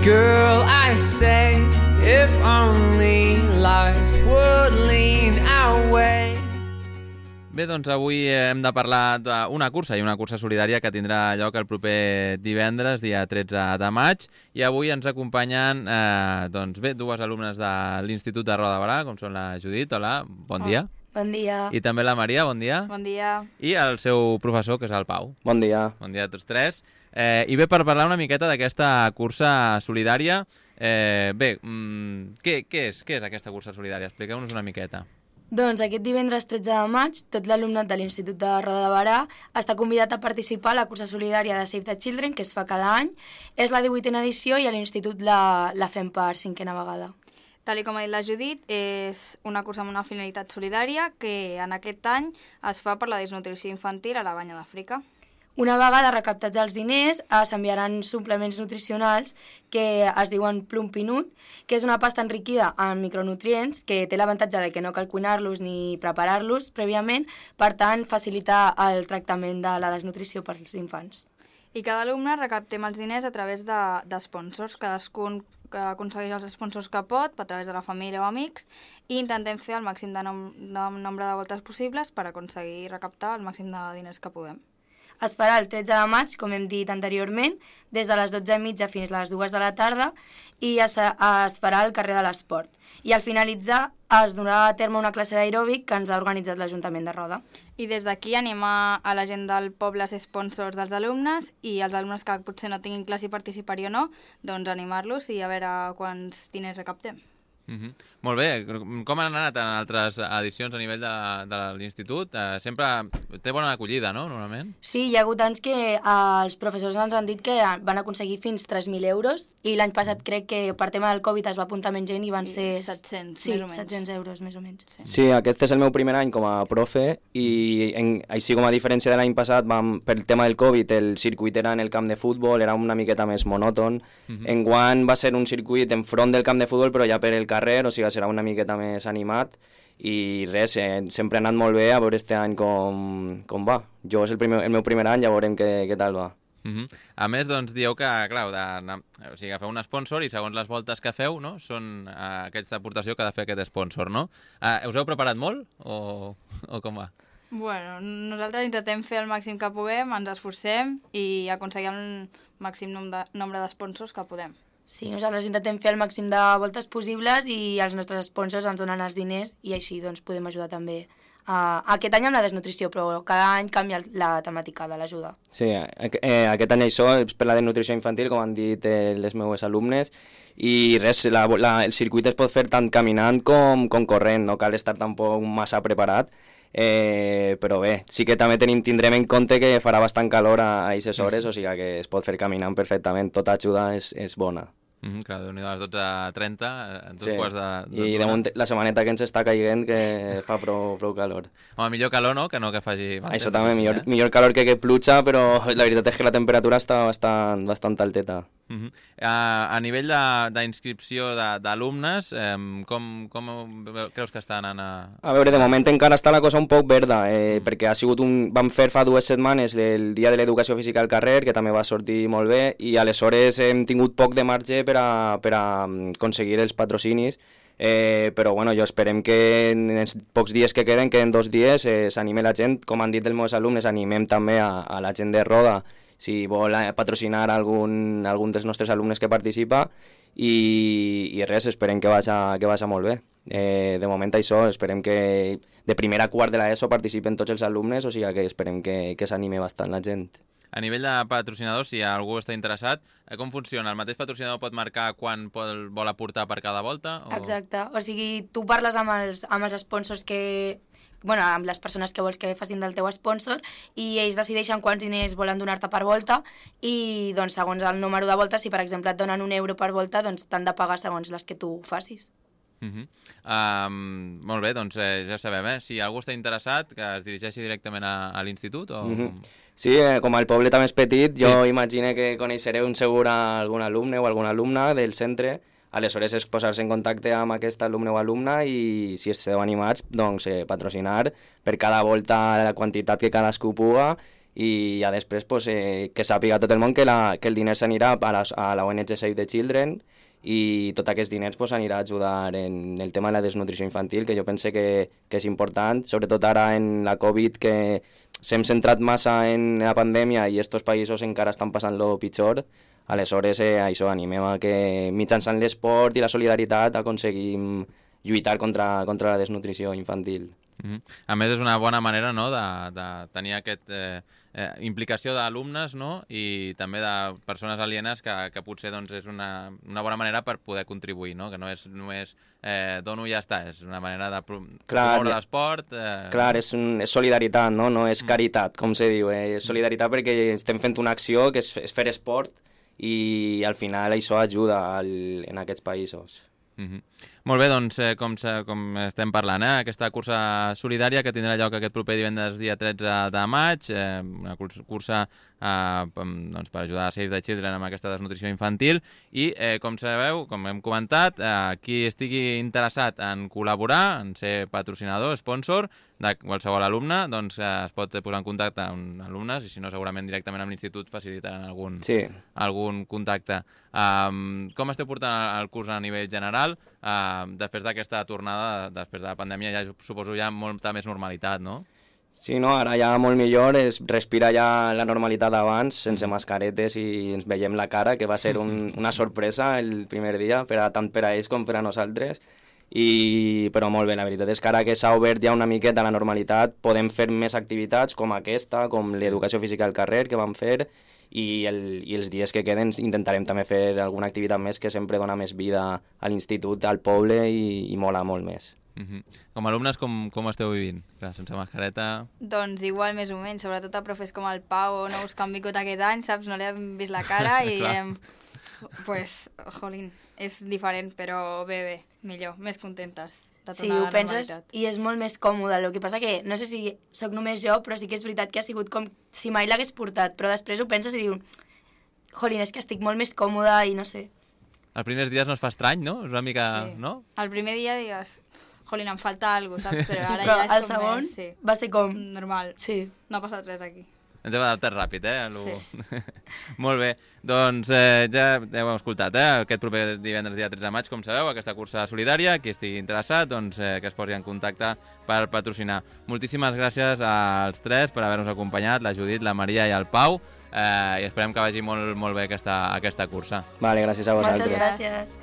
Girl, I say, if only life would lean our way. Bé, doncs avui hem de parlar d'una cursa i una cursa solidària que tindrà lloc el proper divendres, dia 13 de maig, i avui ens acompanyen dues alumnes de l'Institut de Roda de Barà, com són la Judit, hola, bon dia. Bon dia. I també la Maria, bon dia. Bon dia. I el seu professor, que és el Pau. Bon dia. Bon dia a tots tres. I bé, per parlar una miqueta d'aquesta cursa solidària, què és aquesta cursa solidària? Expliqueu-nos una miqueta. Doncs aquest divendres 13 de maig, tot l'alumnat de l'Institut de Roda de Barà està convidat a participar a la cursa solidària de Save the Children, que es fa cada any. És la 18a edició i a l'Institut la fem per 5a vegada. Tal com ha dit la Judit, és una cursa amb una finalitat solidària que en aquest any es fa per la desnutrició infantil a la Banya d'Àfrica. Una vegada recaptats els diners, s'enviaran suplements nutricionals que es diuen Plum Pinut, que és una pasta enriquida en micronutrients que té l'avantatge de que no cal cuinar-los ni preparar-los prèviament, per tant, facilita el tractament de la desnutrició pels infants. I cada alumne recaptem els diners a través d'esponsors. Cadascun que aconsegueix els sponsors que pot, a través de la família o amics, i intentem fer el màxim de nombre de voltes possibles per aconseguir recaptar el màxim de diners que puguem. Es farà el 13 de maig, com hem dit anteriorment, des de les 12:30 fins a les 2 de la tarda, i es farà al carrer de l'Esport. I al finalitzar es donarà a terme una classe d'aeròbic que ens ha organitzat l'Ajuntament de Roda. I des d'aquí animar a la gent del poble a ser sponsors dels alumnes, i els alumnes que potser no tinguin classe i participar-hi o no, doncs animar-los i a veure quants diners recaptem. Molt bé. Com han anat en altres edicions a nivell de l'Institut? Sempre té bona acollida, no?, normalment? Sí, hi ha hagut anys que els professors ens han dit que van aconseguir fins 3.000 euros, i l'any passat crec que per tema del Covid es va apuntar menys gent i van ser 700, sí, més o menys. 700 euros més o menys. Sí, aquest és el meu primer any com a profe, i així com a diferència de l'any passat, pel tema del Covid, el circuit era en el camp de futbol, era una miqueta més monòton. Enguany va ser un circuit enfront del camp de futbol, però ja per el carrer, o sigui, serà una miqueta més animat, i res, sempre ha anat molt bé, a veure este any com va. Jo és el meu primer any, ja veurem què tal va. A més, doncs, dieu que, clar, agafeu un sponsor i segons les voltes que feu, no?, són aquesta aportació que ha de fer aquest sponsor, no? Us heu preparat molt o com va? Bueno, nosaltres intentem fer el màxim que puguem, ens esforcem i aconseguim el màxim nombre de sponsors que podem. Sí, nosaltres intentem fer el màxim de voltes possibles i els nostres sponsors ens donen els diners i així doncs podem ajudar també aquest any amb la desnutrició, però cada any canvia la temàtica de l'ajuda. Sí, aquest any això és per la desnutrició infantil, com han dit les meves alumnes, i res, el circuit es pot fer tant caminant com corrent, no cal estar tampoc massa preparat, però bé, sí que també tindrem en compte que farà bastant calor a aquestes hores, o sigui que es pot fer caminant perfectament, tota ajuda és bona. Clar, Déu-n'hi-do, a les 12:30, en dos quarts de... I damunt la setmaneta que ens està caient que fa prou calor. Home, millor calor, no?, que no que faci... Això també, millor calor que pluja, però la veritat és que la temperatura està bastant alteta. A nivell d'inscripció d'alumnes, com creus que està anant a veure, de moment encara està la cosa un poc verda, perquè vam fer fa 2 setmanes el dia de l'educació física al carrer, que també va sortir molt bé, i aleshores hem tingut poc de marge per a aconseguir els patrocinis, però bueno, jo esperem que en els pocs dies que queden 2 dies, s'anime la gent, com han dit els meus alumnes, animem també a la gent de Roda, si vol patrocinar algun dels nostres alumnes que participa, i res, esperem que vagi molt bé. De moment això, esperem que de primer a quart de l'ESO participen tots els alumnes, o sigui que esperem que s'anime bastant la gent. A nivell de patrocinadors, si algú està interessat, com funciona? El mateix patrocinador pot marcar quan vol aportar per cada volta? Exacte, o sigui, tu parles amb els sponsors amb les persones que vols que facin del teu sponsor, i ells decideixen quants diners volen donar-te per volta, i doncs segons el número de voltes, si per exemple et donen €1 per volta, doncs t'han de pagar segons les que tu facis. Molt bé, doncs ja sabem, si algú està interessat, que es dirigeixi directament a l'institut o... Sí, com el poble també és petit, jo imagino que coneixereu segur algun alumne o alguna alumna del centre. Aleshores és posar-se en contacte amb aquest alumne o alumna, i si esteu animats, doncs patrocinar per cada volta la quantitat que cadascú puga, i ja després pues, que sàpiga tot el món que el diner s'anirà a la ONG Save the Children i tot aquests diners pues, anirà a ajudar en el tema de la desnutrició infantil, que jo pense que és important, sobretot ara en la Covid, que s'hem centrat massa en la pandèmia i estos països encara estan passant-lo pitjor. Aleshores, això, animem a que mitjançant l'esport i la solidaritat aconseguim lluitar contra la desnutrició infantil. A més, és una bona manera, no?, de tenir aquesta implicació d'alumnes, no?, i també de persones alienes que potser doncs, és una bona manera per poder contribuir, no?, que no és només dono i ja està, és una manera de promoure l'esport. Clar, és solidaritat, no és caritat, com se diu, és solidaritat perquè estem fent una acció que és fer esport i al final això ajuda en aquests països. Molt bé, doncs, com estem parlant, aquesta cursa solidària que tindrà lloc aquest proper divendres dia 13 de maig, una cursa doncs, per ajudar a Save the Children amb aquesta desnutrició infantil i, com sabeu, com hem comentat, qui estigui interessat en col·laborar, en ser patrocinador, sponsor de qualsevol alumne, doncs es pot posar en contacte amb alumnes i si no segurament directament amb l'institut facilitaran algun contacte. Com esteu portant el curs a nivell general? Després d'aquesta tornada, després de la pandèmia, ja suposo ja molta més normalitat, no? Sí, no, ara ja molt millor, es respira ja la normalitat d'abans, sense mascaretes i ens veiem la cara, que va ser una sorpresa el primer dia, tant per a ells com per a nosaltres, però molt bé, la veritat és que ara que s'ha obert ja una miqueta la normalitat, podem fer més activitats com aquesta, com l'educació física al carrer que vam fer, i els dies que queden intentarem també fer alguna activitat més que sempre dona més vida a l'institut, al poble i mola molt més. Com a alumnes, com esteu vivint? Clar, sense mascareta... Doncs igual més o menys, sobretot a profes com el Pau, no us que han vingut aquest any, saps? No li hem vist la cara i pues, jolín, és diferent, però bé, millor, més contentes. Sí, ho penses i és molt més còmode. El que passa que, no sé si sóc només jo, però sí que és veritat que ha sigut com si mai l'hagués portat, però després ho penses i dius, jolín, és que estic molt més còmoda i no sé. Els primers dies no es fa estrany, no? És una mica... Sí. No? El primer dia digues, jolín, em falta alguna cosa, saps? Però sí, ara però ja és el com segon més, sí. va ser com... Normal. Sí. No ha passat res aquí. Ens hem adaptat ràpid, Sí. Molt bé, doncs ja heu escoltat, aquest proper divendres dia 13 de maig, com sabeu, aquesta cursa solidària, qui estigui interessat, doncs que es posi en contacte per patrocinar. Moltíssimes gràcies als tres per haver-nos acompanyat, la Judit, la Maria i el Pau, i esperem que vagi molt bé aquesta cursa. Vale, gràcies a vosaltres. Moltes gràcies.